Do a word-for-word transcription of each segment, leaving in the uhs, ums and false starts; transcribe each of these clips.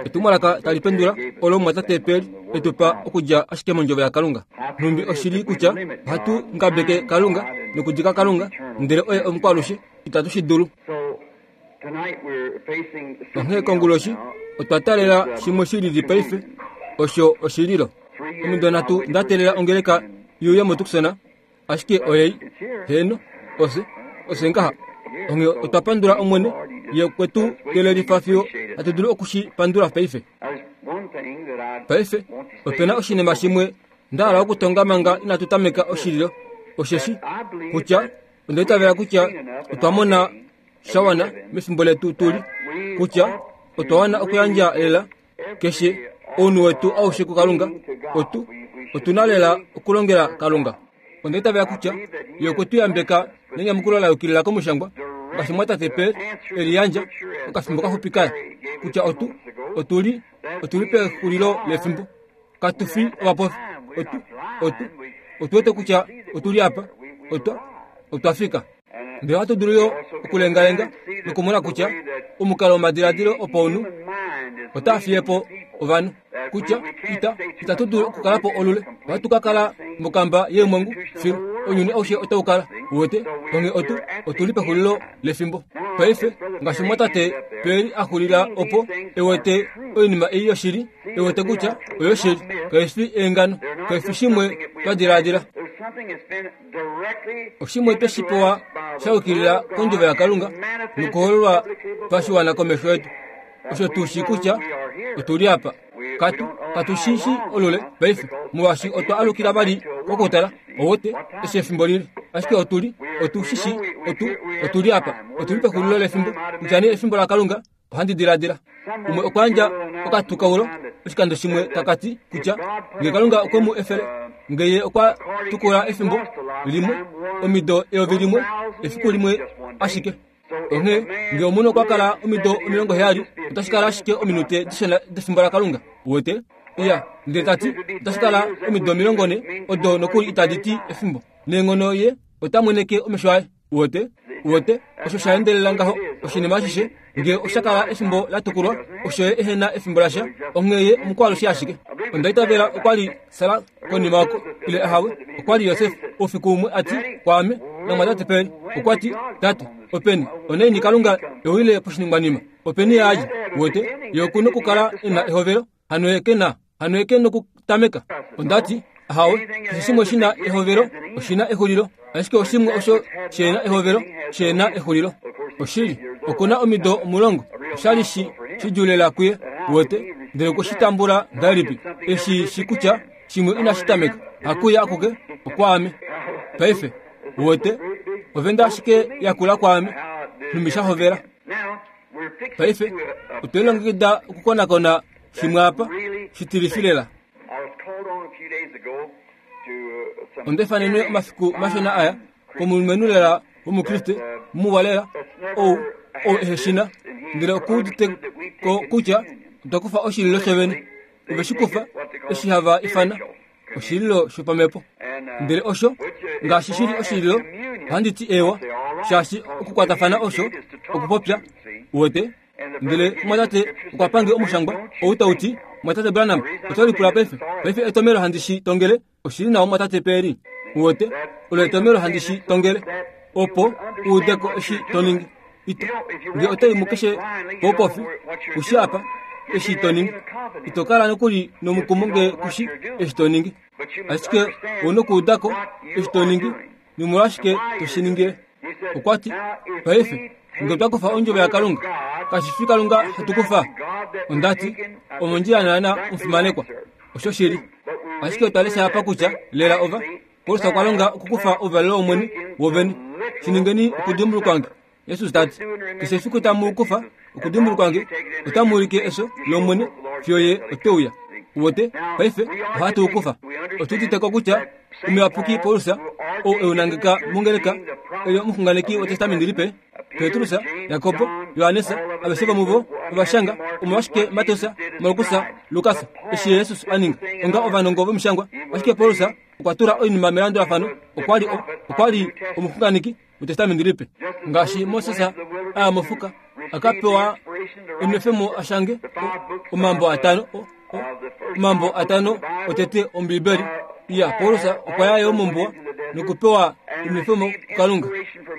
Etumwalaka tali pendula olo omumwatate Perry e tu pa okudja ashike mondjovo yaKalunga. Nhumbi oshili kutya ohatu ngabeke Kalunga nokudika Kalunga, ndele oye omukwalushe, itatu shi dulu. Onghee konguloshi otwa taalela shimwe shi lili paife, osho oshililo. Omido nhatu nda teelela ongeleka i uye moTucson, ashike oyei, heeno, ofye, ofye ngaha. Onghee otwa pandula Omwene, Ye okwe tu kelelifa fiyo hatu dulu oku shi pandula paife. Paife, ope na oshinima shimwe nda hala okutonga manga inatu tameka oshililo, osheshi kutya onda itavela kutya otwa mona sha wana mefimbo letu tu li, kutya otwa wana okuyandja lela keshe ounhu wetu aushe kuKalunga. Otu, otu na lela okulongela Kalunga. Onda itavela kutya Ye okwe tu yambeka nenyamukulo la yukilila komushangwa, ngaashi mwatate Perry e liyandja okafimbo kaxupi kaya, kutya otu, otu li, otu li pexulilo lefimbo. Katu fi ovapofi. Otu, otu, otu wete kutya otu li apa. Otwa, otwa fika. Ndele ohatu dulu yo okulengalenga nokumona kutya omukalo womadiladilo opaunhu otaa fiye po ovanhu, kutya ita, itatu dulu okukala po olule. Ohatu ka kala mokamba yeemwangu fiyo ounyuni aushe otau kala. Uwete, onghee otu, otu li pexulilo lefimbo. Paife, ngaashi mwatate Perry a xulila opo, e wete oinima ei yoshili, e wete kutya oyoshili, kai fi eengano, kai fi shimwe twa diladila. Oshimwe twe shi pewa sha yukilila kondjovo yaKalunga nokuhololwa pashiwana komesho yetu. Osho tu shii kutya otu li apa. Katu, katu shi shi olule paife, molwaashi otwa alukila vali kokutala, ouwete, eshi efimbo lili. Ashike otu li, otu shi shii, otu, otu li apa. Otu li pexulilo lefimbo, kutya nee efimbo laKalunga, ohandi diladila. Umwe okwa yandja okatukaulo oshikando shimwe taka ti kutya nge Kalunga okwe mu efele, nge Ye okwa tukula efimbo limwe, omido eyovi limwe, efiku limwe ashike. Onghee nge omunhu okwa kala omido omilongo heyali, otashi kala ashike ominute dishona defimbo laKalunga. Uwete? Iya, ndele ta ti, otashi kala omido omilongo nhe, odo nokuli itadi ti efimbo. Neenghono ye ota mweneke omesho aye. Uwete? Uwete? Osho sha endelela ngaho, oshinima ashishe, nge osha kala efimbo la tukulwa, osho ye ehe na efimbo lasha, onghee ye omukwalushe ashike. Onda itavela okwa li Sara konima oko, ile ahawe, okwa li Josef, oufiku umwe a ti kwaame namwatate Perry, okwa ti, Tate, openi, onaini Kalunga e uyile poshiningwanima? Openi ye a dja? Uwete, ye oku nokukala e na ehovelo, hano ye ke na, hano ye ke nokutameka. Onda ti, Ahawe, keshe shimwe shi na ehovelo oshi na exulilo, ashike oshimwe osho she na ehovelo she na exulilo. Oshili, oku na omido omulongo, osha li shi shidjuu lela kuye, uwete, ndele okwe shi tambula ngahelipi, e shi shi kutya shimwe inashi tameka, hakuye akuke, okwaame. Paife, uwete, ovenda ashike yakula kwaame, nhumbi sha hovela. Paife, otwe lilongekida okukonakona shimwe apa, shitilifi lela. Onda ifanenwe omafiku mashona aya komulumenhu lela wOmukriste muwa lela, ou, ou ehe shi na, ndele oku udite ko kutya otwa kufa oshililo shovene. Ove shi kufa, eshi hava ifana oshililo shopamhepo. Ndele osho, ngaashi shi li oshililo, ohandi ti eewa, shaashi okukwatafana osho okupopya, uwete. Ndele mwatate okwa pange omushangwa ou tau ti, Mwatate Branham, oto lipula paife, paife etomelo handi shi tongele, oshi li nawa mwatate Perry. Uwete, olo etomelo handi shi tongele, opo u ude ko eshi to ningi. Ito, nge oto i mukeshe poupofi, ku shi apa, eshi to ningi. Ito kala nokuli nomukumo nge ku shi eshi to ningi. Ashike ou nokuuda ko eshi to ningi, nomolwashike to shi ningile. Okwa ti, Paife, nge otwa kufa ondjovo yaKalunga, kashi fi Kalunga hatu kufa? Onda ti, Omondjila naana, omufimanekwa. Osho shili. Ashike otwa lesha apa kutya, lela ova, Paulus okwa longa okukufa ouvalelo wOmwene wovene. Shi ningeni okudimbulukwa nge. Jesus ta ti, Keshe efiku tamu u kufa okudimbulukwa nge, otamu ulike efyo lOmwene fiyo Ye ote uya. Uwete? Paife, ohatu u kufa. Otu udite ko kutya Omuyapuki Paulus, ou e u nangeka mongeleka, e li omuxunganeki wEtestamenti Lipe, Petrus, Jakob, Johannes, aveshe vomuvo ova shanga omolwashike Mateus, Markus, Lukas, eshi Jesus a ninga, onga ovanongo vomishangwa. Ashike Paulus okwa tula oinima melandulafano, okwa li, okwa li omuxunganeki wEtestamenti Lipe. Ngaashi Moses a ya mofuka, akapewa enwefemo ashange omambo atano omambo atano otete Ombibeli. Ya Paulus okwa ya yo mombuwa nokupewa enwefemo kuKalunga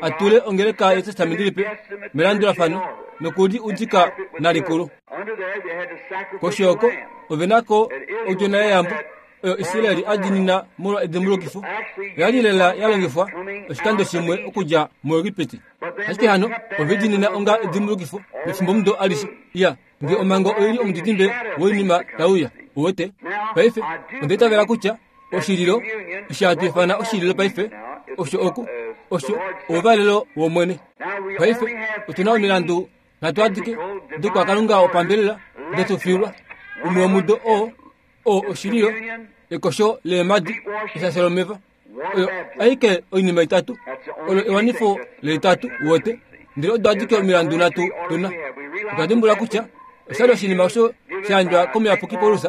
atule ongeleka yetestamenti lipe melandulafano nokuli udika nalikulu. Koshi oko ovenako odjona yeyambo oyo Israeli adinina molwa edimbulukifo oyali lela yalongifwa oshikando shimwe okudja muEgipiti. Ashike hano ovedinina onga edimbulukifo mefimbomudo alishe. Ya nge omhango oili omudidimbe woinima tauya uwete. Paife onda itavela kutya oshililo eshi hatu ifana oshililo paife osho oku osho ouvalelo wOmwene. Paife otuna omilandu nhatu adike dokwakalunga wopambelela detufilwa umwe womudo oo oo oshililo ekosho leemadi eshasho lomeva oyo aike oinima itatu olo ewanifo leitatu uwete. Ndele odo adike omilandu nhatu tuna. Otwa dimbula kutya oshali oshinima osho shayandjwa komuyapuki Paulus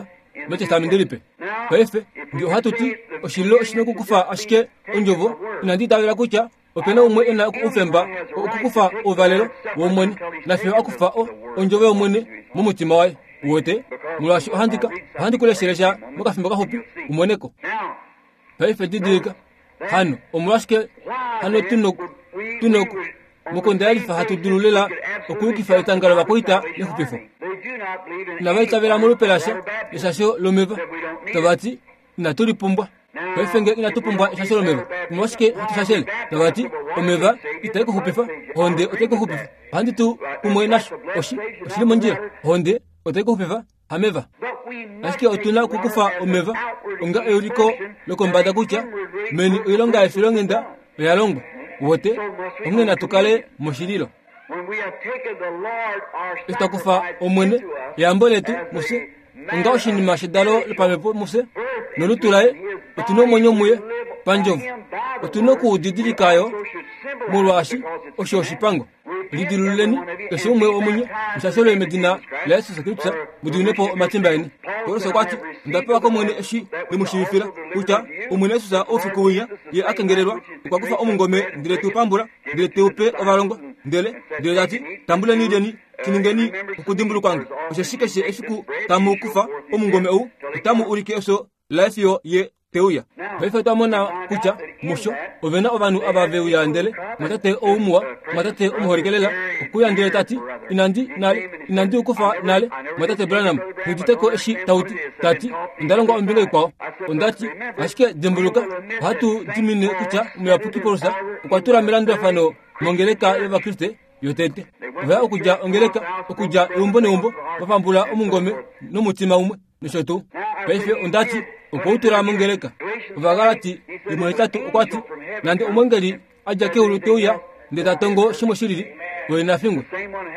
metestamenti lipe. Paife nge ohatu ti oshililo oshina okukufa ashike ondjovo, inandi itavela kutya opena umwe ena oufemba okukufa ouvalelo wOmwene nafiyo akufa ondjovo yOmwene momutima waye uwete, molwaashi ohandika ohandi kuleshelesha mokafimbo kaxupi umoneko. Paife didilika hano omolwashike hano tunoku tunoku mokonda yalifa hatu dulu lela okuyukifa etanga lovakwaita lexupifo. Inava itavela molupe lasha eshasho lomeva, tavati inatu lipumbwa. Paife nge inatu pumbwa eshasho lomeva, omolwashike hatu shashele? Tavati omeva itai kuxupifa, ohonde otai kuxupifa. Ohandi tu kumwe nasho oshi oshili mondjila, ohonde otai kuxupifa hameva. Ashike otuna okukufa omeva onga euliko lokombada kutya meni oilonga yefilonghenda oya longwa uwete, onghee natu kale moshililo. Eshi twa kufa Omwene eyambo letu mufye onga oshinima shedalo lopamhepo mufye nolutu laye, otuna omwenyo muye pandjovo. Otuna okuudidilika yo molwaashi osho oshipango. Lidilululeni keshe umwe womunye mushashelwe medina laJesus Kristus mudiminepo omatimba eni. Paulus okwa ti onda pewa kOmwene eshi ndemushiivifila kutya Omwene Jesus oufiku winya ye a kengelelwa okwa kufa omungome ndele teu pambula ndele teu pe ovalongwa ndele ndele tati tambuleni lyeni shiningeni okudimbulukwange, osheshi keshe efiku tamu kufa omungome ou otamu ulike efyo laye fiyo ye teuya. Paife otwa mona kutya musho ovena ovanhu ava veuya ndele mwatate ou muwa, mwatate omuholike lela okuya ndele tati inandi nale inandi ukufa nale mwatate Branham nguditeko eshi tauti tati onda longwa ombinga ikwao. Ondati ashike dimbuluka ohatu dimine kutya omuyapuki Paulus okwa tula melandulafano mongeleka yOvakriste yotete. Ovaya okudja ongeleka okudja eumbo neumbo vapambula omungome nomutima umwe nosho tuu. Paife ondati okwa utula mongeleka. Ovagalati imwe itatu okwa ti nande omwengeli adja keulu teuya ndele ta tongo shimwe shilili oye nafingwe.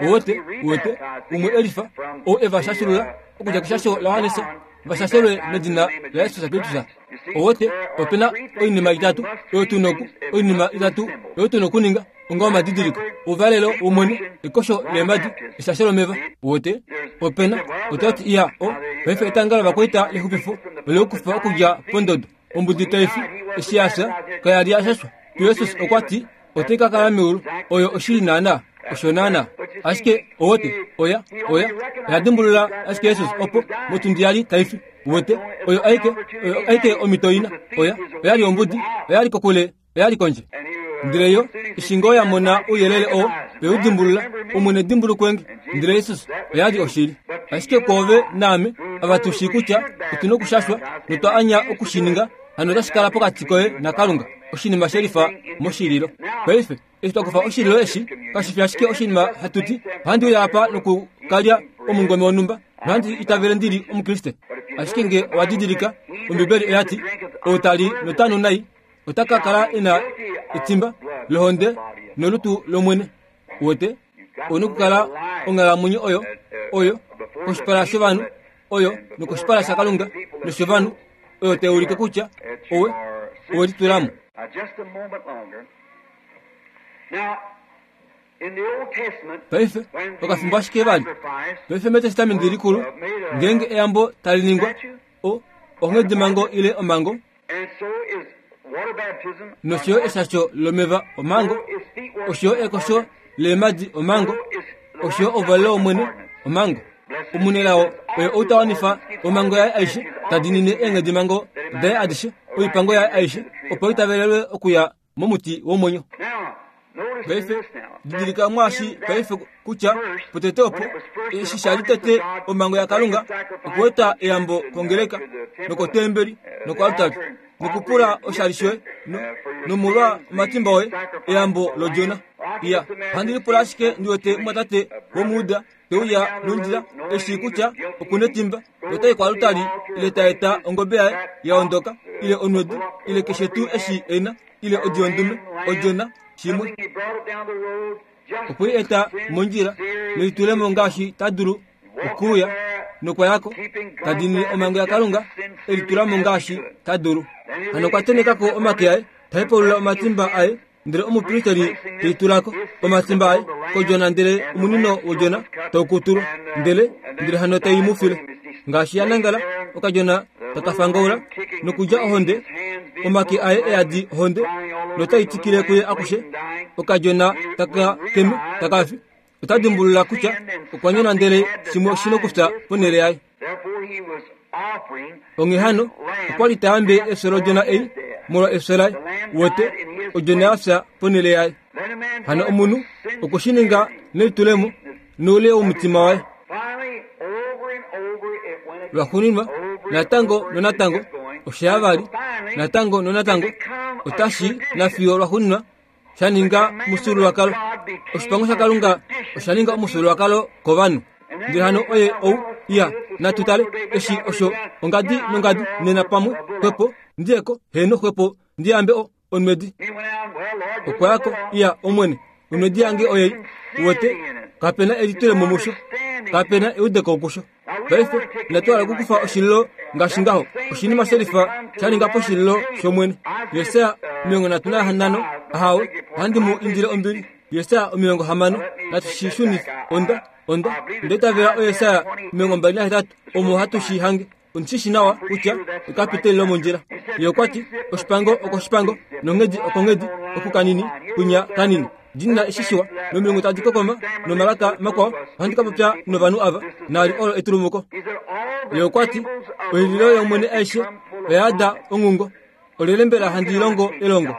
Uwete uwete umwe elifa ou eva shashulula okudja keshasho laJohannes vashashelwe medina laJesus Kristus. Uwete opena oinima itatu oyo tuna oinima itatu oyo tuna okuninga onga omadidiliko ouvalelo wOmwene, ekosho leemadi, eshasho lomeva. Uwete opena otati iya o paife etanga lovakwaita lexupifo olekufa okudja pondodo ombudi taifi eshi yafya kayali yashashwa. Jesus okwa ti otai ka kala meulu oyo oshili naana osho naana. Ashike owote oya oya oya dimbulula ashike Jesus opo motundi yali taifi. Uwete oyo aike oyo aike omito ina oya oyali ombudi oyali kokule oyali kondje. Ndele yo eshi ngoo yamona ouyelele oo veudimbulula Omwene dimbulukwenge. Ndele Jesus oyali oshili. Ashike kwoove naame ava tu shii kutya otuna okushashwa notwa anya okushininga, hano otashi kala pokati koye naKalunga oshinima shelifa moshililo. Paife eshi twa kufa oshililo eshi kashi fi ashike oshinima hatu ti ohandi uya apa nokukalya omungome wonhumba nohandi itavele ndili Omukriste. Ashike nge owa didilika Ombibeli oya ti ou tali notanu nai ota ka kala ena etimba lohonde nolutu lOmwene. Uwete ouna okukala onghalamwenyo oyo oyo koshipala shovanhu oyo nokoshipala shaKalunga noshovanhu oyo tai ulike kutya owe owe litulamo. Paife okafimbo ashike vali. Paife metestamenti likulu ngeenge eyambo tali ningwa o onghedimhango ile omhango nosho yo eshasho lomeva omhango osho yo ekosho leemadi omhango Osho ouvalelo wOmwene, omhango. Omunelao oye ou ta wanifa omhango yaye aishe, ta diinine eenghedimhango daye adishe, oipango yaye aishe, opo itavelelwe okuya momuti womwenyo. Paife didilika mwaashi paife kutya potete opo eshi sha li tete omhango yaKalunga okueta eyambo kongeleka nokotembeli nokoaltari nokupula oshali shoye nomolwa omatimba oye eyambo lodjona. Iya, ohandi lipula ashike ndi wete mumwatate womuuda teuya nondjila eshi kutya okuna etimba notai koaltari ile ta eta ongobe yaye ya ondoka ile onwedi ile keshe tuu eshi ena ile odi yondume odjona shimwe okwe i eta mondjila nelitulemo ngaashi ta dulu okuuya nokwayako ta diinine omhango yaKalunga elitulamo ngaashi ta dulu. Hano okwa tenekako omake aye ta hepaulula omatimba aye ndele omupristeri teitulako omatimba aye kodjona ndele omunino wodjona taukutulwa ndele ndele hano tai mu file ngaashi ya nangala okadjona takafangaula nokulya ohonde omake aye eyadi ohonde notai tikile kuye akushe okadjona taka keme takafi. Ota dimbulula kutya okwa nyona ndele shimwe oshi nokufya ponhele yaye. Onghee hano okwa li ta yambe efyo lodjona ei molwa efyo laye wete odjona ya fya ponhele yaye. Hano omunhu okwe shi ninga nelitulemo noule womutima waye. Lwaxuuninwa natango nonatango osha ya vali natango nonatango otashi nafiyo lwaxuuninwa sha ninga omufyuululwakalo. Oshipango shaKalunga osha ninga omufyuululwakalo kovanhu. Ndele hano oye ou iya natu tale eshi osho ongadi nongadi nena pamwe xwepo ndiyeko heno xwepo ndiyambe o onwedi. Okwayako iya Omwene onwedi yange oyei wete kapena elitulemo musho kapena eudeko kusho. Paife inatu hala okukufa oshililo ngaashi ngaho oshinima shelifa sha ninga poshililo shOmwene. Yesaya omilongo nhatu nahanano ahawe ohandi mu indile ombili. Yesaya omilongo hamano natu shi shunife. Onda onda onda itavela oYesaya omilongo mbali nahetatu omo hatu shi hange. Ondishi nawa kutya ekapiteli lomondjila. Ye okwa ti oshipango okoshipango nonghedi okonghedi okukanini kunya kanini dinina eshi shiwa nomilungu tadi kokoma nomalaka makwao ohandi ka popya novanhu ava naali olo etulumuko. Ye okwa ti oililo yOmwene aishe oya yada onghungo. Olyelye mbela handi longo elongo?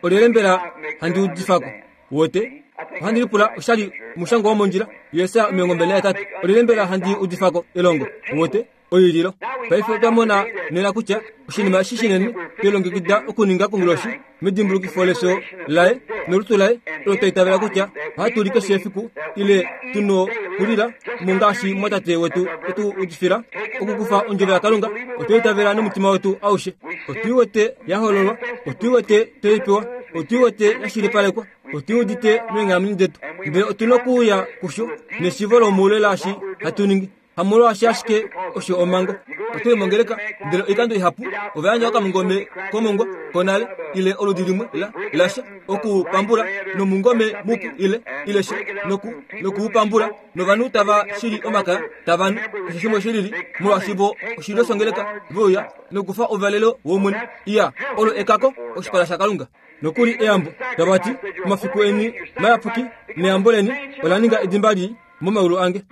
Olyelye mbela handi udifako? Wote ohandi lipula oshali omushango womondjila. Yesaya omilongo mbali nahetatu olyelye mbela handi udifako elongo? Wote oililo. Paife otwa mona nena kutya oshinima eshi shinene twelongekida okuninga konguloshi medimbulukifo lefyo laye nolutu laye olo twa itavela kutya ohatu li keshe efiku ile tuno kulila mo ngaashi mwatate wetu etu udifila okukufa ondjovo yaKalunga. Otwa itavela nomutima wetu aushe. Otui wete ya hololwa, otui wete tweipewa, otui wete ya shilipalekwa, otui udite meenghalamwenyo detu. Ndele otuna okuuya kusho neshivo lomoule laashi hatu ningi. Hamolwaashi ashike osho omhango. Otuli mongeleka ndele oikando ihapu ova yandja okamungome komongwa konale ile oludi limwe la lasha okupambula nomungome mupu ile ile sha noku nokuupambula novanhu tava shili omakaya tava nu keshe shimwe shilili molwaashi vo oshilyo shongeleka veuya nokufa ouvalelo wOmwene. Iya olo ekako oshipala shaKalunga. Nokuli eyambo tava ti omafiku eni mayapuki neyambo leni ola ninga edimba lii momaulu ange.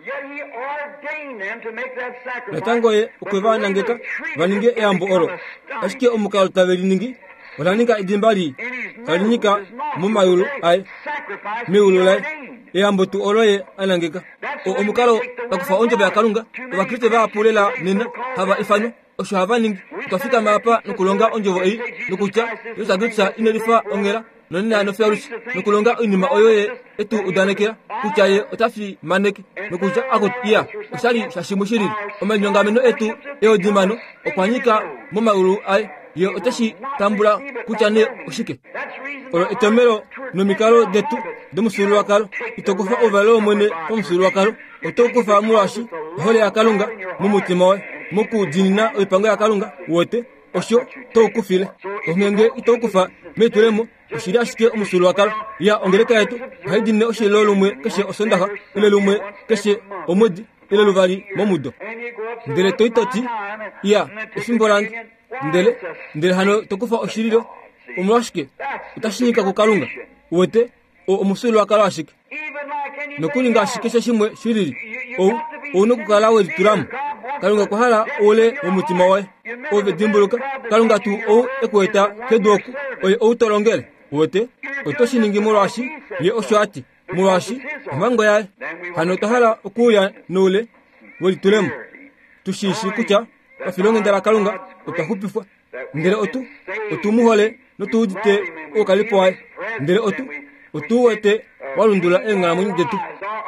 Natango ye okwe va nangeka va ninge eyambo olo ashike omukalo tave li ningi ola ninga edimba lii tali nyika momayulu aye meulu laye eyambo tuu olo ye a nangeka. Omukalo pakufa ondjovo yaKalunga Ovakriste vahapu lela nena hava ifanwa osho hava ningi. Otwa fikama apa nokulonga ondjovo ei nokutya Jesus Kristus ine lifa onghela nonena nofyalushi nokulonga oinima oyo ye etu udanekela kutya ye ota fimaneke nokutya akuti iya oshali shashimwe shilili. Omalinyongameno etu eodimano okwa nyika momaulu aye ye oteshi tambula kutya nee oshike. Olo etomelo nomikalo detu domufyuululwakalo. Ito kufa ouvalelo wOmwene pamufyuululwakalo, oto kufa molwaashi ohole yaKalunga momutima woye mokudiinina oipango yaKalunga wote osho toukufile. Onghenge ito kufa meitulemo oshili ashike omufyuululwakalo. Ya ongeleka yetu ohai diinine oshililo lumwe keshe osondaxa ile lumwe keshe omwedi ile luvali momudo. Ndele toi toti iya efimbo lange ndele ndele hano tokufa oshililo omolwashike otashi nyika kuKalunga. Wete omufyuululwakalo ashike. Nokuli ngaashi keshe shimwe shilili, ou ouna okukala welitulamo. Kalunga okwa hala oule womutima woye. Ove dimbuluka, Kalunga tuu ou e ku eta kedu oku, oye ou to longele. Uwete, oto shi ningi molwaashi ye osho a ti, molwaashi omhango yaye. Hano otwa hala okuuya noule welitulemo, tu shi shii kutya pafilonghenda laKalunga otwa xupifwa, ndele otu otu mu hole notu udite oukalipo waye, ndele otu otu wete wa lundulula eenghalamwenyo detu.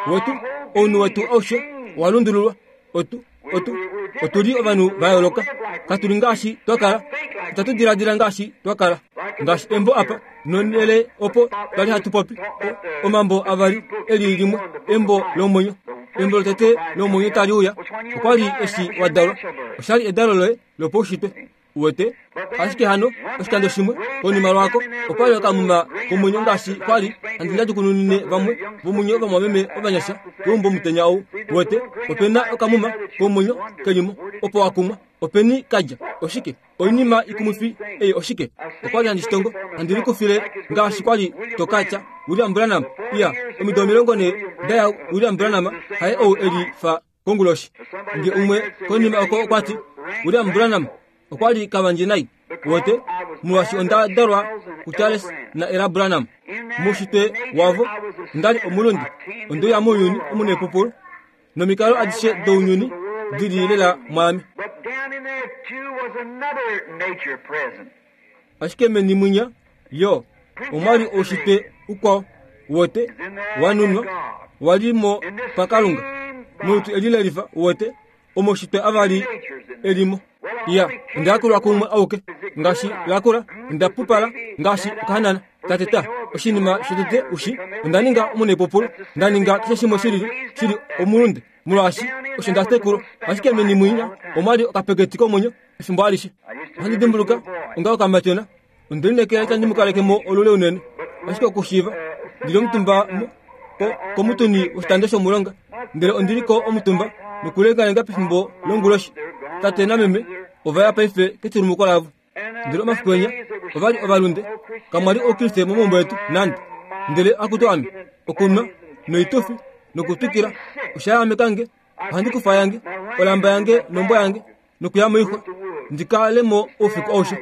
Wetu ounhu wetu aushe owa lundululwa. Otu otu otu li ovanhu va yooloka. Katu li ngaashi twa kala, itatu diladila ngaashi twa kala. Ngaashi embo apa nonhele opo twali hatu popi omambo avali eli limwe, embo lomwenyo. Embo lotete lomwenyo tali uya okwali eshi wa dalwa, oshali edalo loye lopaushitwe. Uwete, ashike hano oshikando shimwe konima lwako okwali okamuma komwenyo ngaashi kwali handi ndadikununine vamwe vomunye ovamwameme ovanyasha keumbo omutenya ou. Uwete, opena okamuma komwenyo kelimo opo wakumwa, openi kadja oshike oinima ikumwifi ei oshike. Okwali handi shitongo handi likufile ngaashi kwali tokatya William Branham. Iya, omido omilongo ne daya William Branham haye ou eli fa konguloshi. Nge umwe konima oko okwati William Branham okwali kavandje nai. Uwete, molwaashi onda dalwa kuCharles na Ella Branham. Muushitwe wavo ondali omulunde, ondeuya mounyuni omunepupulu nomikalo adishe dounyuni dili lela mwaame. But down in there too was another nature present. Ashike meni mwinya yo omwali oushitwe ukwao uwete wanunwa walimo paKalunga molutu eli lelifa. Uwete omoushitwe avali elimo. Iya, onda yakulwa kumwe auke ngaashi lakula, onda pupala ngaashi okahanana kateta. Oshinima shotete ushi, onda ninga omunepupulu, nda ninga keshe shimwe shilili shili omulunde molwaashi osho nda tekulwa. Ashike meni mwinya omwali okapeketi komwenyo efimbo alishe. Ohandi dimbuluka onga okamatyona, onde lineekela itandi mu kaleke mo olule unene, ashike okushiiva ndili omutumba komutuni woshitando shomulonga, ndele ondili ko omutumba nokulengalenga pefimbo longuloshi. Tate nameme ova ya paife ketulumuko lavo, ndele omafiku enya ovali ovalunde, kamwali oukriste momaumbo etu nande. Ndele akutu ame okunwa noitufi nokutwikila osha yahameka nge. Ohandi kufa yange olamba yange nombwa yange nokuya moixwa ndikalemo oufiku aushe.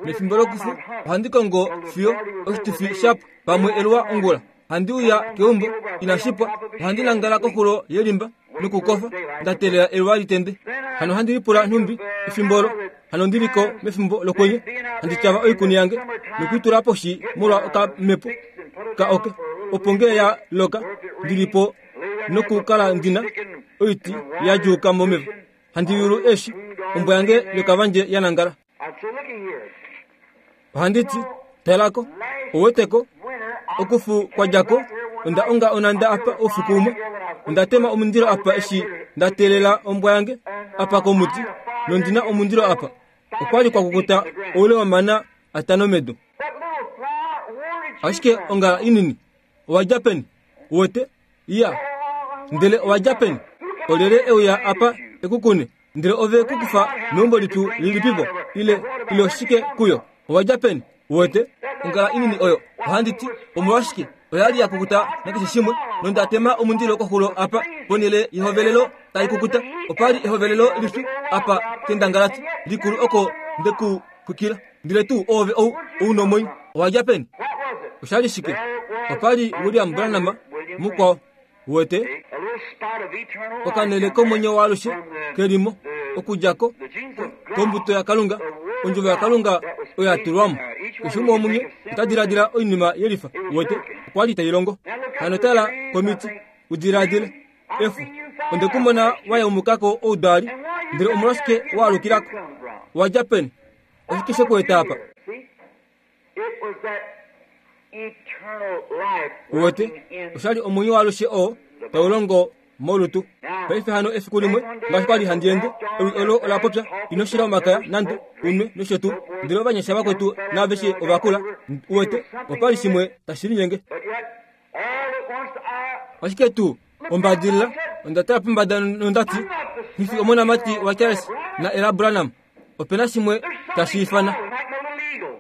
Mefimbo lokufu ohandi kongo fiyo oshitufi shapwa pamwe eluwa ongula. Handi uya keumbo inashipwa, ohandi nangala koxulo yelimba nokukofa nda teelela eluwa litende. Hano handi lipula nhumbi efimbo olo hano ndiliko mefimbo lokwenye, handi tyava oikuni yange nokuitula poshi molwa okamepo ka oke, opo ngee ya loka ndilipo nokukala ndina oiti ya djuuka momeva. Handi yulu eshi ombwa yange yokavandje ya nangala. I'd say, looky here. Ohandi ti, talako, ouweteko okufu kwadjako, onda onga onanda apa oufiku umwe. Onda tema omundilo apa eshi nda teelela ombwa yange apa komuti, nondina omundilo apa. Okwali kwa kukuta oule womana atano medu. That little flower, where did you Ashike ongala inini, owa dja peni? Uwete? Iya, ndele owa dja peni? Olyelye euya apa ekukune? Ndele ove kukufa meumbo litu lilipipo? Ile, ile oshike kuyo? Owa dja peni? Uwete? Ongala inini oyo, ohandi ti, omolwashike? Oya li ya kukuta nakeshe shimwe, nonda tema omundilo koxulo apa ponhele yehovelelo tai kukuta. Opali ehovelelo lipyu apa kendangalati likulu oko ndeku xwikila. Ndele tuu oove ou ouna omwenyo, owa dja peni? What was it? Oshali shike? Opali William Branham mukwao. Uwete, A little spot of eternal life okanhele komwenyo waalushe kelimo okudja ko kombuto yaKalunga, ondjovo yaKalunga oyo ya tulwamo. Keshe umwe womunye ota diladila oinima yelifa. Uwete, okwali tai longo. Hano tala komiti, udiladile efu. Onde kumona wayaumukako oudali, ndele omolwashike waalukilako? Wa dja peni? Oshike shekueta apa? See? It was that eternal life Uwete, working in oshali omwenyo waalushe oo tau longo molutu. Paife hano efiku limwe ngaashi kwali handi ende, ewi olo ola popya, ino shila omakaya nande unwe nosho tuu. Ndele ovanyasha vakwetu naaveshe ovakula. Uwete, opali shimwe tashi linyenge. But yet, all at once I Ashike tuu ombadilila onda tala pombada nondati, Nghifi omonamati waCharles na Ella Branham. Opena shimwe tashi ifana like my little eagle.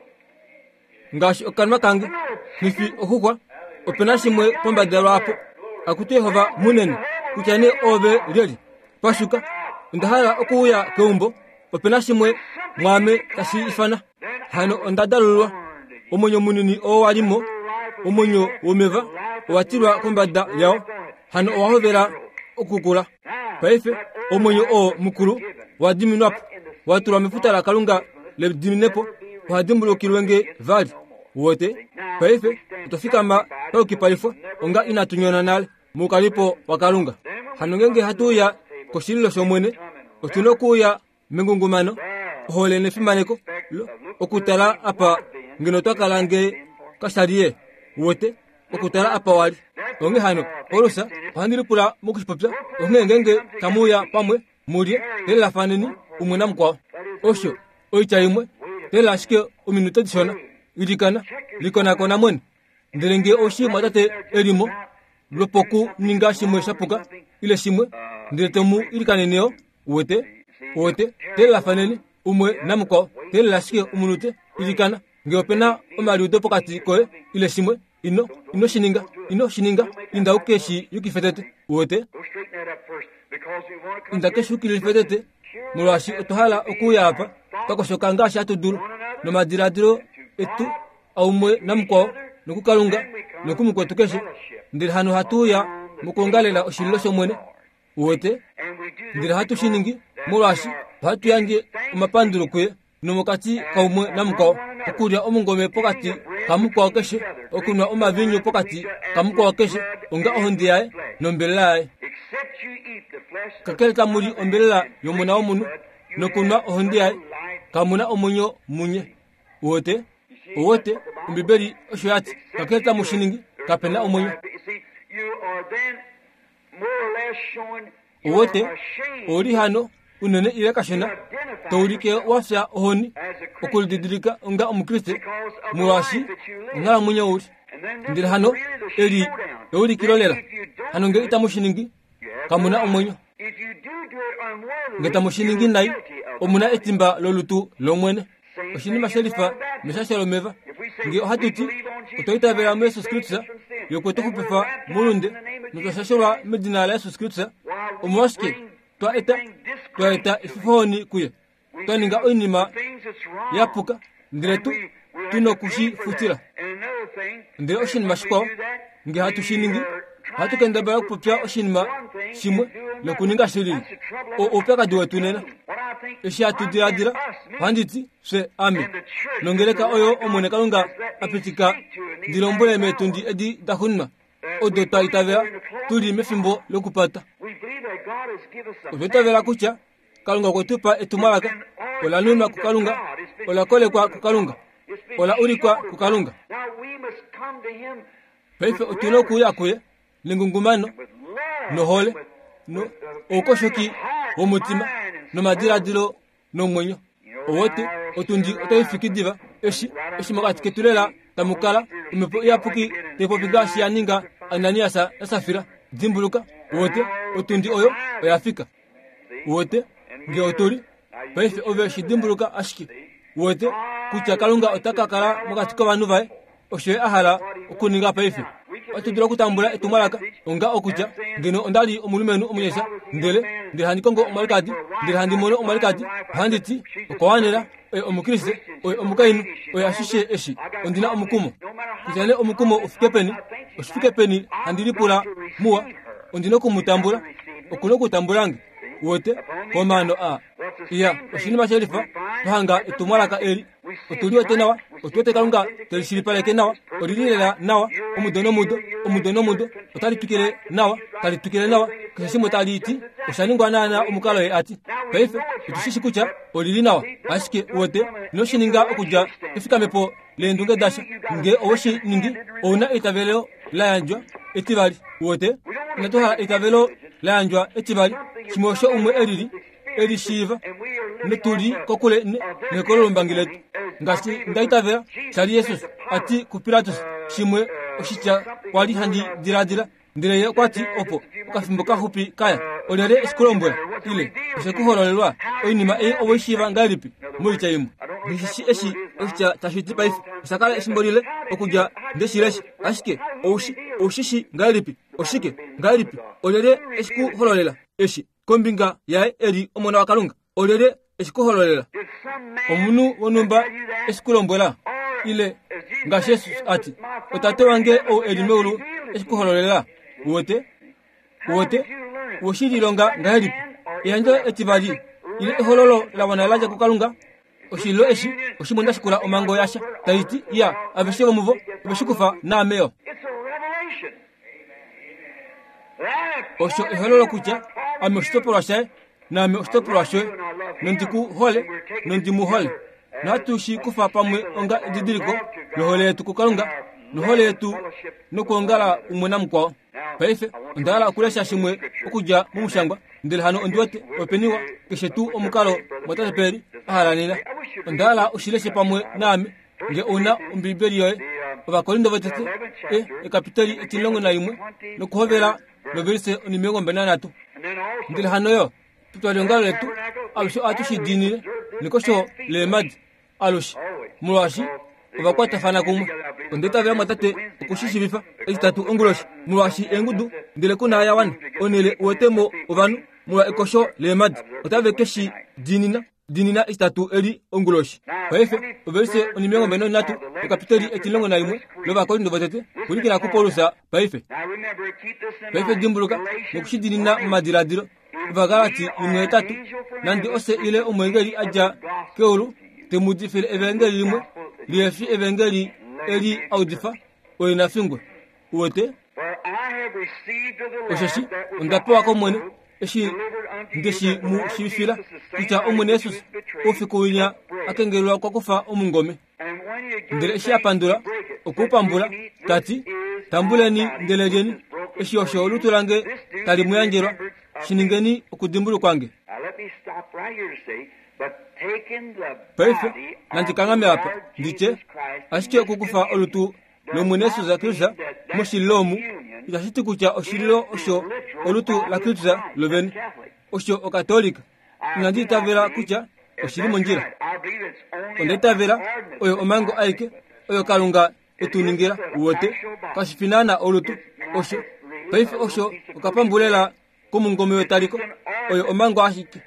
ngaashi okanwa kange. Nghifi oxuxwa, opena shimwe pombada lwaapo. Akutu Yehova munene, kutya nee ove lyelye. Pashuka, onda hala okuuya keumbo, opena shimwe mwaame tashi ifana. Hano onda dalulwa, omwenyo munini oo wa limo, omwenyo womeva owa tilwa kombada yao, hano owa hovela okukula. Paife omwenyo oo mukulu wa diminwapo, wa tulwa mefuta laKalunga lediminepo, oha dimbulukilwe nge vali. Wote paife otwa fikama paukipalifwa onga inatu nyona nale moukalipo waKalunga. Hano ngenge hatu uya koshililo shOmwene, otu na okuuya mengungumano, ohole nefimaneko, okutala apa ngeno twa kala nge kashaliye. Wote okutala apa wali. Onghee hano Paulus ohandi lipula mokushipopya, onghee ngenge tamuuya pamwe mulye telelafaneni umwe namukwao. Osho oitya imwe, telela ashike ominute dishona, ilikana, likonakona mwene. Ndele nge oushi mwatate elimo lwopokuninga shimwe shapuka ile shimwe, ndele tomu ilikaneneo. Uwete, uwete, telelafaneni umwe namukwao, telela ashike omunute, ilikana. Nge opena omaliudo pokati koye ile shimwe, ino ino shininga, ino shininga, inda uke shi yukife tete. Uwete, inda ke shi yukilife tete, molwaashi otwa hala okuuya apa twakoshoka ngaashi hatu dulu, nomadiladilo etu aumwe namukwao, nokuKalunga nokumukwetu keshe. Ndele hano hatu uya mokuongalela oshililo shOmwene. Uwete, ndele hatu shi ningi molwaashi ohatu yandje omapandulo kuye nomokati kaumwe namukwao, okulya omungome pokati kamukwao keshe, okunwa omavinyu pokati kamukwao keshe, onga ohonde yaye nombelela yaye. Kakele tamuli ombelela yomona womunhu nokunwa ohonde yaye, kamuna omwenyo munye. Uwete, uwete, Ombibeli osho yati, kakele tamu shi ningi, kapena omwenyo. Uwete, oli hano unene ile kashona, toulike wafya ohoni okulididilika onga omukriste, molwaashi onghalamwenyo uli. Ndele hano eli eulikilo lela. Hano nge itamu shi ningi, kamuna omwenyo. Nge tamu shi ningi nai, omuna etimba lolutu lOmwene. Oshinima shelifa meshasho lomeva. Nge ohatu ti otwa itavela muYesus Kristus, ye okwe tu xupifa moulunde, notwa shashelwa medina laYesus Kristus, omolwashike twa eta twa eta efifohoni kuye, twa ninga oinima ya puka, ndele tu tu nokushi futila. Ndele oshinima shikwao, nge hatu shi ningi, ohatu kendabala okupopya oshinima shimwe nokuninga shilili. Oupyakadi wetu nena, eshi hatu diladila, ohandi ti fye ame nongeleka oyo Omwene Kalunga a pitika ndi lombwele meetundi edi da xuninwa, odo twa itavela tuli mefimbo lokupata. Otwa itavela kutya Kalunga okwe tu pa etumwalaka, ola nunwa kuKalunga, ola kolekwa kuKalunga, ola ulikwa kuKalunga. Paife otu na okuuya kuye nengungumano, nohole, no oukoshoki womutima, nomadiladilo nomwenyo. Owote otundi otai fiki diva, eshi eshi mokati ketu lela tamu kala omhepo iyapuki tai popi ngaashi ya ninga Ananias naSafira. Dimbuluka, uwete, otundi oyo oya fika. Uwete, nge otuli paife ove shi dimbuluka ashike. Uwete kutya Kalunga ota ka kala mokati kovanhu vaye, osho ye a hala okuninga paife. Ohatu dulu okutambula etumwalaka onga okutya ngeno onda li omulumenhu omunyasha, ndele ndele handi kongo omwalikadi, ndele handi mono omwalikadi, ohandi ti okwa wanela, oye omukriste, oye omukainhu, oye ashishe eshi, ondi na omukumo. Kutya nee omukumo ufike peni, oshifike peni handi lipula muwa, ondi na okumutambula, oku na okutambula nge. Uwete, komaano a iya oshinima shelifa, twahanga etumwalaka eli, otu liwete nawa, otu wete Kalunga teli shilipaleke nawa, olili lela nawa, omudo nomudo, omudo nomudo, otali twikile nawa, tali twikile nawa, keshe shimwe tali ti, osha ningwa naana omukalo ye ati. Paife otu shi shi kutya olili nawa, ashike uwete, ino shi ninga okudja efikamepo leendunge dasha. Nge owe shi ningi, ouna eitavelo la yandjwa etivali. Uwete, inatu hala eitavelo la yandjwa etivali, shimwe osho umwe elili eli shiiva, notuli kokule nekolo lombangi letu. Ngaashi nda itavela shali Jesus ati kuPilatus, shimwe oshitya kwali handi diladila, ndele ye okwa ti opo okafimbo kaxupi kaya, olyelye eshikulombwela ile oshekuhololelwa oinima ei owe shiiva ngahelipi? Moitya imwe, Ndishi eshi oshitya tashi ti paife, osha kala efimbo lile okudja ndeshi lesha, ashike oushi oushishi ngahelipi? Oshike ngahelipi olyelye eshi ku hololela eshi kombinga yaye eli omona waKalunga? Olyelye eshi ku hololela? Omunhu wonhumba eshi ku lombwela? Ile ngaashi Jesus ati, otate wange ou eli meulu eshi ku hololela? Uwete? Uwete? Oshililonga ngahelipi? Eyandjo etivali ile ehololo la wana la dja kuKalunga? Oshililo eshi oshimwe ndashikula omhango yasha taiti ya aveshe vomuvo oveshikufa naameyo. Osho ehololo kutya ame oshitopolwa shaye naame oshitopolwa shoye, nondi ku hole nondi mu hole. Nohatu shi kufa pamwe onga edidiliko lohole yetu kuKalunga nohole yetu nokuongala umwe namukwao. Paife onda hala okulesha shimwe okudja momushangwa, ndele hano ondi wete openiwa keshe tuu omukalo mwatate Peri a hala nena. Onda hala ushileshe pamwe naame nge ouna Ombibeli yoye. Ovakorinto votete e ekapiteli etimulongo naimwe nokuhovela novelise onimilongo mbali nanhatu. Ndele hano yo petwaliongalo letu alushe ohatu shi diinine nekosho leemadi alushe, molwaashi ovakwatafana kumwe. Onda itavela mwatate okushishiivifa etitatu onguloshi, molwaashi eengudu ndele kuna ya wana onhele uwetemo ovanhu molwa ekosho leemadi otave ke shi diinina diinina etitatu eli onguloshi. Paife ovelise onimilongo mbali nonhatu yokapiteli etimulongo naimwe lOvakorinto votete pwilikina kuPaulus paife. Paife dimbuluka nokushidiinina momadiladilo. Ovagalati imwe etatu, nande ose ile omwengeli a dja keulu te mu udifile evangeli limwe lihefi evangeli eli audifa, oye na fingwe. Uwete? Osheshi onda pewa kOmwene eshi ndeshi mu shiivifila kutya Omwene Jesus oufiku winya a kengelelwa kwa kufa omungome. Ndele eshi a pandula, okwe u pambula, ta ti, tambuleni ndele lyeni, eshi osho olutu lange tali mu yandjelwa, shi ningeni okudimbulukwa nge. Paife nandi kanghame apa nditye, ashike okukufa olutu lOmwene Jesus Kristus moshililo omu itashi ti kutya oshililo osho olutu laKristus lovene, osho Okatolika. Inandi itavela kutya oshili mondjila. Onda itavela oyo omhango aike oyo Kalunga etu ningila. Uwete? Kashi fi naana olutu osho. Paife osho okapambulela komungome wetaliko, oyo omhango ashike.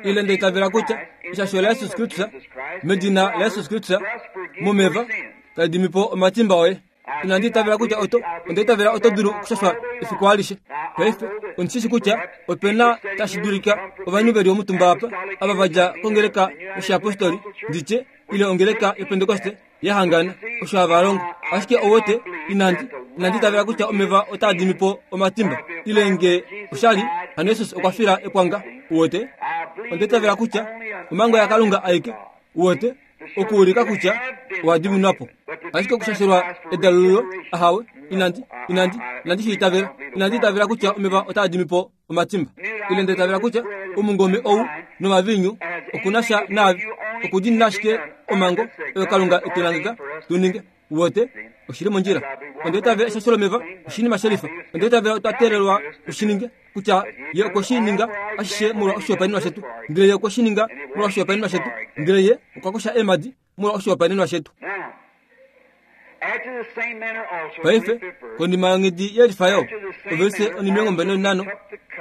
Ile nda itavela kutya eshasho laJesus Kristus medina laJesus Kristus momeva tali dimi po omatimba oye. Inandi itavela kutya oto, onda itavela oto dulu okushashwa efiku alishe. Paife ondi shi kutya opena tashi dulika ovanhu veli omutumba apa ava va dja kongeleka yoshiapostoli nditye ile ongeleka yoPentekoste ya hangana osho hava longo. Ashike ouwete, inandi inandi itavela kutya omeva otaa dimi po omatimba ile nge oshali hano Jesus okwa fila ekwanga. Uwete? Onda itavela kutya omhango yaKalunga aike, uwete, okuulika kutya owa diminwa po. Ashike okushashelwa edalululo, ahawe, inandi inandi inandi shi itavela. Inandi itavela kutya omeva otaa dimi po omatimba. Ile nda itavela kutya omungome ou nomaviinyu okuna sha naave, okudiinina ashike omhango oyo Kalunga etu langeka tu ninge. Uwete? Oshili mondjila. Onda itavela eshasho lomeva oshinima shelifa. Onda itavela otwa teelelwa tu shi ninge, kutya ye okwe shi ninga ashishe molwa oshihopaenenwa shetu, ndele ye okwe shi ninga molwa oshihopaenenwa shetu, ndele ye okwa kosha eemhadi molwa oshihopaenenwa shetu. Paife konima yonghedi yelifa yo ovelise onimilongo mbali nonhano,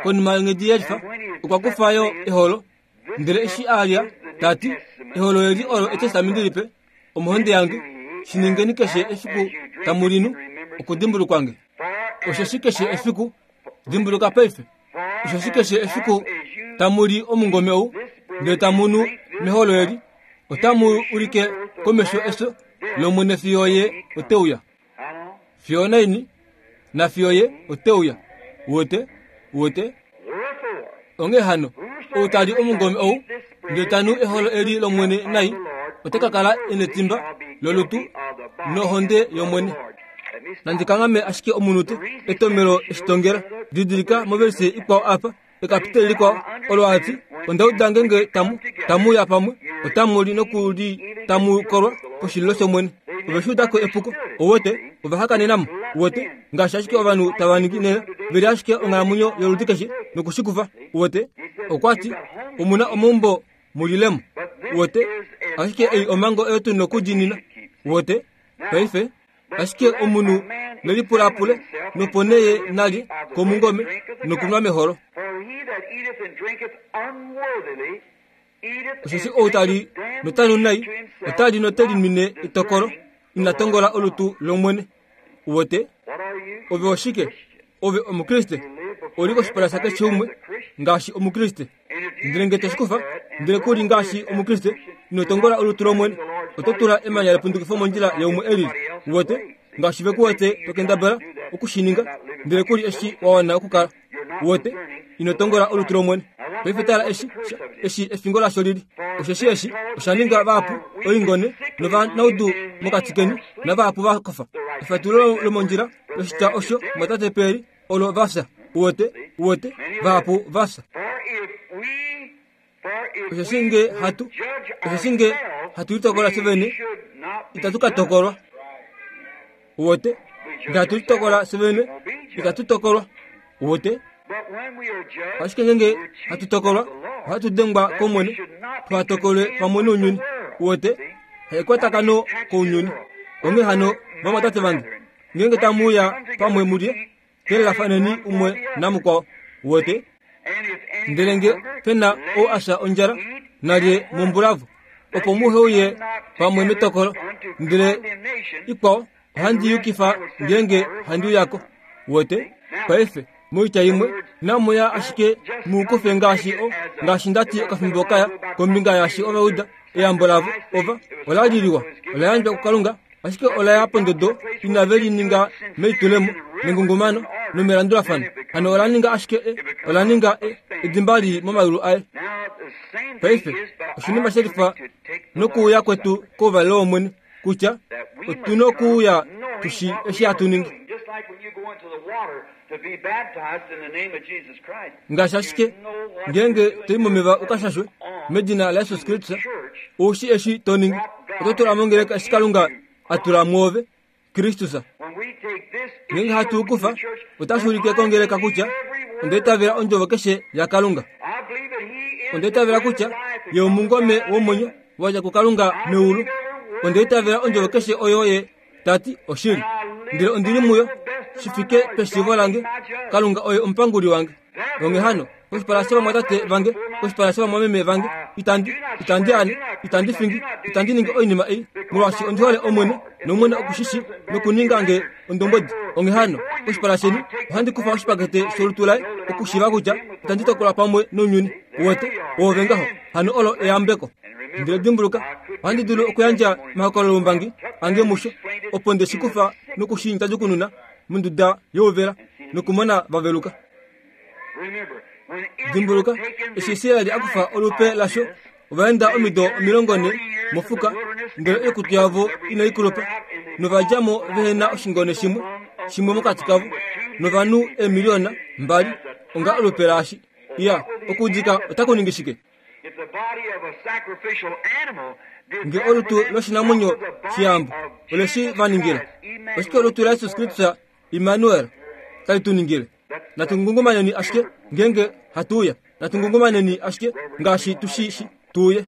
konima yonghedi yelifa okwa kufa yo eholo, ndele eshi a lya ta ti, eholo eli olo etestamenti lipe omohonde yange, shi ningeni keshe efiku tamu li nu okudimbulukwa nge. Osheshi keshe efiku, dimbuluka paife, osheshi keshe efiku tamu li omungome ou ndele tamu nu meholo eli, otamu ulike komesho efyo lOmwene fiyo ye ote uya. Fiyo naini na fiyo ye ote uya. Uwete? Uwete? Onghee hano, ou ta li omungome ou ndele ta nu eholo eli lOmwene nai, ota ka kala e netimba lolutu nohonde yOmwene. Nandi kanghame ashike omunute etomelo eshitongela. Didilika movelise ikwao apa, ekapiteli likwao olo ati, onda uda ngenge tamu tamu uya pamwe, otamu li nokuli tamu kolwa poshililo shOmwene. Ove shi udako epuko, ouwete, ova hakanenamo, uwete, ngaashi ashike ovanhu tava ningi nena, veli ashike onghalamwenyo yoludi keshe nokushikufa, uwete. Okwa ti, omuna omaumbo mulilemo, uwete, ashike ei omhango oyo tu nokudiinina, uwete. Paife Ashike omunhu nelipulapule nopo nee ye nalye komungome nokunwa meholo. For he that eateth and drinketh unworthily eateth Osheshi and ou tali drinketh notanu nai damnation to himself, otali note linwine not etokolo discerning ina the tongola Lord. olutu lOmwene. Uwete What are you? ove oshike? Ove omukriste oli koshipala shakeshe umwe ngaashi omukriste. Ndele nge toshikufa ndele kuli ngaashi omukriste ino tongola olutu lOmwene, oto tula emanya lepundukifo mondjila yaumwe elili. Uwete ngaashi ve ku wete tokendabala okushininga ndele kuli eshi wa wana okukala. Uwete ino tongola olutu lOmwene. Paife tala eshi eshi efingo lasho lili. Osheshi eshi osha ninga vahapu oingone novanaudu mokati keni navahapu va kofa. Efatululo lomondjila loshitya osho mwatate Peri olo vafya. Uwete uwete vahapu vafya. For if we, for if Osheshi we nge would hatu judge osheshi nge ourselves, hatu litokola we fye vene should not be itatu ka judged. tokolwa. Uwete nge hatu litokola fye vene itatu tokolwa. Uwete But when we are judged, ashike ngenge we are hatu chief tokolwa of the Lord, ohatu dengwa that we kOmwene should not be tuha tokolwe condemned pamwe with nounyuni. the world. Uwete See? haikwatakaano kounyuni. Onghee hano vamwatate vange ngenge tamuuya pamwe mulye kelelafaneni umwe namukwao. Uwete And if any ndele nge hunger, pena let ou asha ondjala him eat nalye at home, mombulavo that opo you muhe uye come not pamwe together metokolo. unto Ndele condemnation, ikwao and the ohandi rest yukifa I will send ngenge order when handi I uyako. come. Uwete paife moitya imwe namuya ashike muukufe ngaashi o ngaashi ndati okafimbo kaya kombinga yaashi ovauda eyambo lavo ova ola liliwa ola yandjwa kuKalunga ashike ola ya pondodo inave lininga meitulemo nengungumano nomelandulafano. Hano ola ninga ashike e ola ninga e edimba lii momayulu aye. Now the same thing Paife is by oshinima our shelifa coming to take the nokuuya Lord's kwetu Supper, kouvalelo wOmwene kutya that we otu must nokuuya come knowing tushi what we eshi are hatu ningi. doing. Just like when you go into the water to be baptized in the name of Jesus Christ, Ngaashi you ashike know what ngenge you're doing. toi momeva You're ukashashwe putting on medina la to Yesus the Kristus church oushi eshi to ningi what oto tula God has mongeleka put eshi Kalunga into a tula mwoove Kristus. When we take this, it Ngenge hatu shows to kufa the church otashi that ulike I kongeleka believe kutya every word. onda itavela ondjovo keshe yaKalunga. I believe that he is Onda the itavela bread of kutya life that ye cometh omungome down out of womwenyo heaven. wadja kuKalunga I meulu. believe every word Onda that he itavela ondjovo says. keshe oyo ye tati oshili. And I Ndele live ondili by muyo the best of shi my fike knowledge. peshiivo God lange be my judge. Kalunga oye omupanguli wange. Onghee hano koshipala shovamwatate vange koshipala shovamwameme vange itandi itandi ane itandi fingi itandi ningi oinima ei molwaashi ondi hole Omwene nOmwene okushishi nokuninga nge ondombwedi. Onghee hano koshipala sheni ohandi kufa oshipakete sholutu laye okushiiva kutya itandi tokolwa pamwe nounyuni. Uwete oove ngaho hano olo eyambeko. Ndele dimbuluka ohandi dulu okuyandja omahokololombangi ange musho opo nde shi kufa nokushintajukununa monduda youvela nokumona vaveluka. Remember, when Israel Dimbuluka taken eshi the Israeli a kufa type olupe of lasho this, ovaenda they omido journeyed omilongo ne forty years in the mofuka wilderness ndele and their oikutu clothes yavo every inai wore kulupa out, and they novadjamo fought vehena without one oshingone people shimwe among of shimwe mokati among kavo them with two novanhu million people eemiliyona mbali as a onga type olupe of laashi. Well, Iya what were the okuudika otaku ningi shike? If the body of a sacrificial animal did Nge that for olutu them, what loshinamwenyo would the body shiyambo of ole shi Jesus va ningila? Christ, Oshike Emmanuel, olutu la do Yesus for us? Kristus Immanuel tali tu ningile? That's Natu ngungumaneni ashike ngenge hatu uya. Natu ngungumaneni ashike ngaashi tushi shi tuuye.